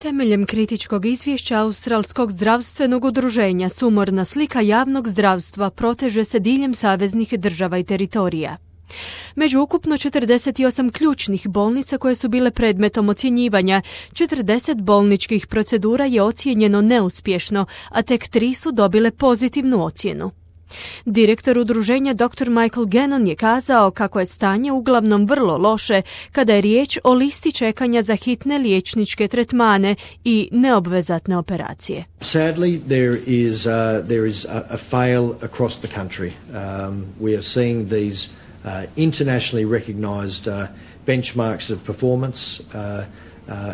Temeljem kritičkog izvješća Australskog zdravstvenog udruženja sumorna slika javnog zdravstva proteže se diljem saveznih država i teritorija. Među ukupno 48 ključnih bolnica koje su bile predmetom ocjenjivanja, 40 bolničkih procedura je ocijenjeno neuspješno, a tek 3 su dobile pozitivnu ocjenu. Direktor udruženja dr. Michael Gannon je kazao kako je stanje uglavnom vrlo loše kada je riječ o listi čekanja za hitne liječničke tretmane i neobvezatne operacije. Sadly, there is a fail across the country. We are seeing these internationally recognized benchmarks of performance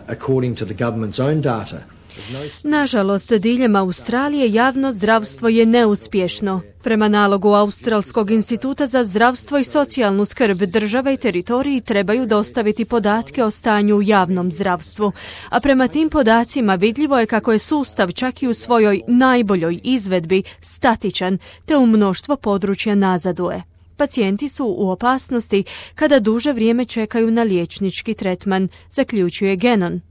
according to the government's own data. Nažalost, diljem Australije javno zdravstvo je neuspješno. Prema nalogu Australskog instituta za zdravstvo i socijalnu skrb, države i teritoriji trebaju dostaviti podatke o stanju u javnom zdravstvu, a prema tim podacima vidljivo je kako je sustav čak i u svojoj najboljoj izvedbi statičan, te u mnoštvo područja nazaduje. Pacijenti su u opasnosti kada duže vrijeme čekaju na liječnički tretman, zaključuje Gannon.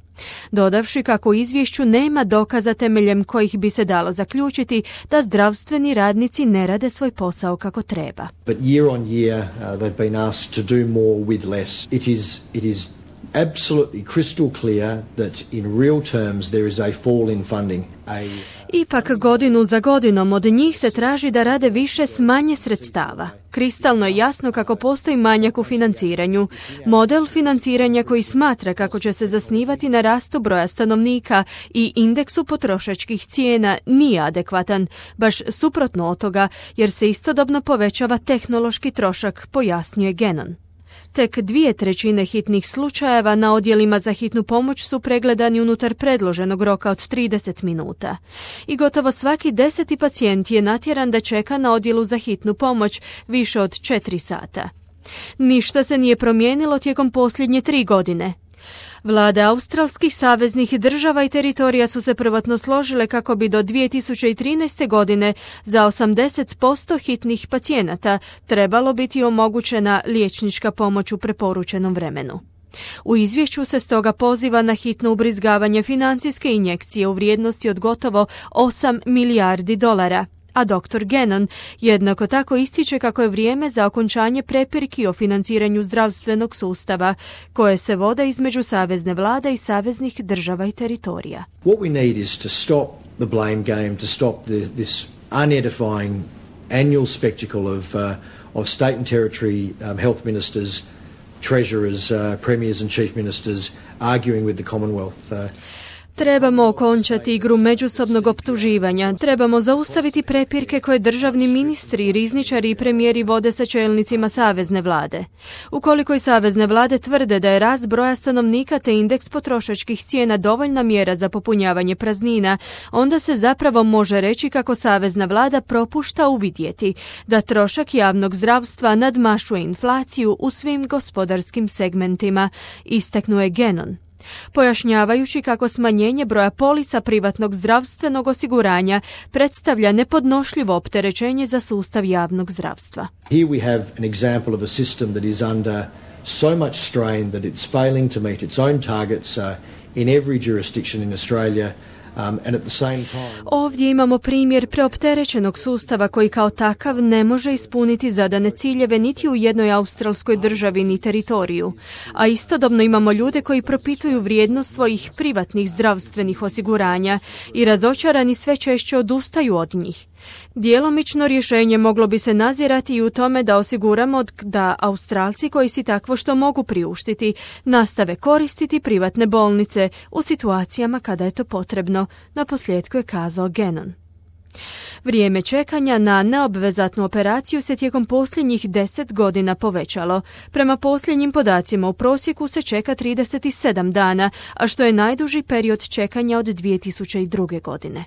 Dodavši kako u izvješću nema dokaza temeljem kojih bi se dalo zaključiti da zdravstveni radnici ne rade svoj posao kako treba. But year on year they've been asked to do more with less. It is absolutely crystal clear that in real terms there is a fall in funding. Ipak godinu za godinom od njih se traži da rade više s manje sredstava. Kristalno je jasno kako postoji manjak u financiranju. Model financiranja koji smatra kako će se zasnivati na rastu broja stanovnika i indeksu potrošačkih cijena nije adekvatan, baš suprotno od toga, jer se istodobno povećava tehnološki trošak, pojasnjuje Gannon. Tek 2/3 hitnih slučajeva na odjelima za hitnu pomoć su pregledani unutar predloženog roka od 30 minuta. I gotovo svaki 10. pacijent je natjeran da čeka na odjelu za hitnu pomoć više od 4 sata. Ništa se nije promijenilo tijekom posljednje 3 godine. Vlade australskih saveznih država i teritorija su se prvotno složile kako bi do 2013. godine za 80% hitnih pacijenata trebalo biti omogućena liječnička pomoć u preporučenom vremenu. U izvješću se stoga poziva na hitno ubrizgavanje financijske injekcije u vrijednosti od gotovo 8 milijardi dolara. A dr. Gannon jednako tako ističe kako je vrijeme za okončanje prepirki o financiranju zdravstvenog sustava, koje se vode između savezne vlade i saveznih država i teritorija. What we need is to stop the blame game, to stop this unedifying annual spectacle of state and territory health ministers, treasurers, premiers and chief ministers arguing with the Commonwealth. Trebamo okončati igru međusobnog optuživanja, trebamo zaustaviti prepirke koje državni ministri, rizničari i premijeri vode sa čelnicima savezne vlade. Ukoliko i savezne vlade tvrde da je rast broja stanovnika te indeks potrošačkih cijena dovoljna mjera za popunjavanje praznina, onda se zapravo može reći kako savezna vlada propušta uvidjeti da trošak javnog zdravstva nadmašuje inflaciju u svim gospodarskim segmentima, istaknuo Gannon, pojašnjavajući kako smanjenje broja polica privatnog zdravstvenog osiguranja predstavlja nepodnošljivo opterećenje za sustav javnog zdravstva. Here we have an example of a system that is under so much strain that it's failing to meet its own targets in every jurisdiction in Australia. Ovdje imamo primjer preopterećenog sustava koji kao takav ne može ispuniti zadane ciljeve niti u jednoj australskoj državi ni teritoriju, a istodobno imamo ljude koji propituju vrijednost svojih privatnih zdravstvenih osiguranja i razočarani sve češće odustaju od njih. Djelomično rješenje moglo bi se nazirati i u tome da osiguramo da Australci koji si takvo što mogu priuštiti nastave koristiti privatne bolnice u situacijama kada je to potrebno, naposljetku je kazao Gannon. Vrijeme čekanja na neobvezatnu operaciju se tijekom posljednjih 10 godina povećalo. Prema posljednjim podacima u prosjeku se čeka 37 dana, a što je najduži period čekanja od 2002. godine.